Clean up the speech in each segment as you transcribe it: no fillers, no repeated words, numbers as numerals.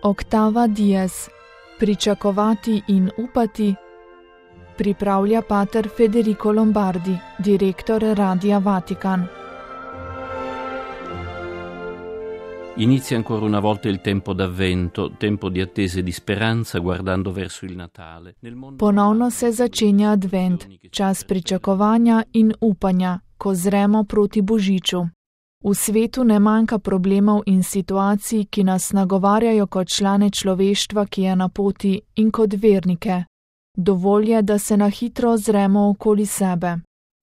Octava Dies. Pričakovati in upati. Pripravlja pater Federico Lombardi, direktor Radia Vatican. Inizia ancora una volta il tempo d'avvento, tempo di attesa e di speranza, guardando verso il Natale. Ponovno se začenja advent, čas pričakovanja in upanja, ko zremo proti Božiču. V svetu ne manjka problemov in situacij, ki nas nagovarjajo kot člane človeštva, ki je na poti, in kot vernike. Dovolj je, da se na hitro ozremo okoli sebe.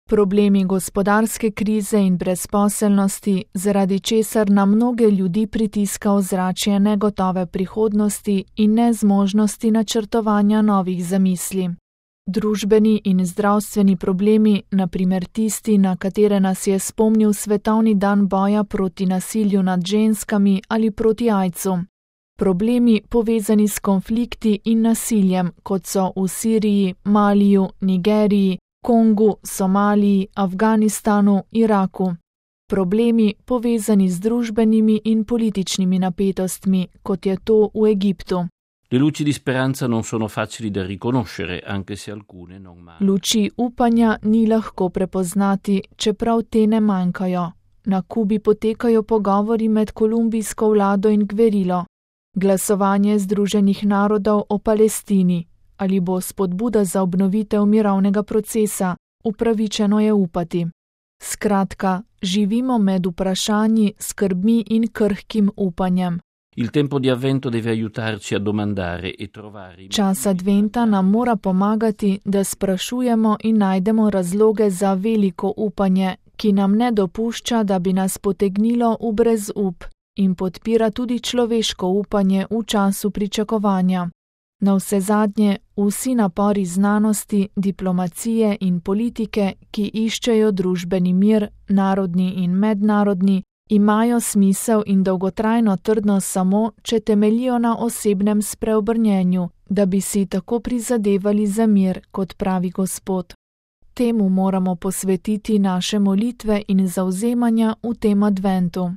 Problemi gospodarske krize in brezposelnosti, zaradi česar na mnoge ljudi pritiska ozračje negotove prihodnosti in nezmožnosti načrtovanja novih zamisli. Družbeni in zdravstveni problemi, na primer tisti, na katere nas je spomnil svetovni dan boja proti nasilju nad ženskami ali proti aidsu. Problemi povezani s konflikti in nasiljem, kot so v Siriji, Maliju, Nigeriji, Kongu, Somaliji, Afganistanu, Iraku. Problemi povezani z družbenimi in političnimi napetostmi, kot je to v Egiptu. Le luci di speranza non sono facili da riconoscere, anche se alcune non mancano. Luči upanja ni lahko prepoznati, čeprav te ne manjkajo. Na Kubi potekajo pogovori med kolumbijsko vlado in gverilo. Glasovanje Združenih narodov o Palestini. Ali bo spodbuda za obnovitev mirovnega procesa, upravičeno je upati. Skratka, živimo med vprašanji, skrbmi in krhkim upanjem. Il tempo di avvento deve aiutarci a domandare e trovare. Čas adventa nam mora pomagati, da sprašujemo in najdemo razloge za veliko upanje, ki nam ne dopušča, da bi nas potegnilo v brezup, in podpira tudi človeško upanje v času pričakovanja. Navsezadnje, vsi napori znanosti, diplomacije in politike, ki iščejo družbeni mir, narodni in mednarodni, imajo smisel in dolgotrajno trdnost samo, če temeljijo na osebnem spreobrnjenju, da bi si tako prizadevali za mir, kot pravi Gospod. Temu moramo posvetiti naše molitve in zavzemanja v tem adventu.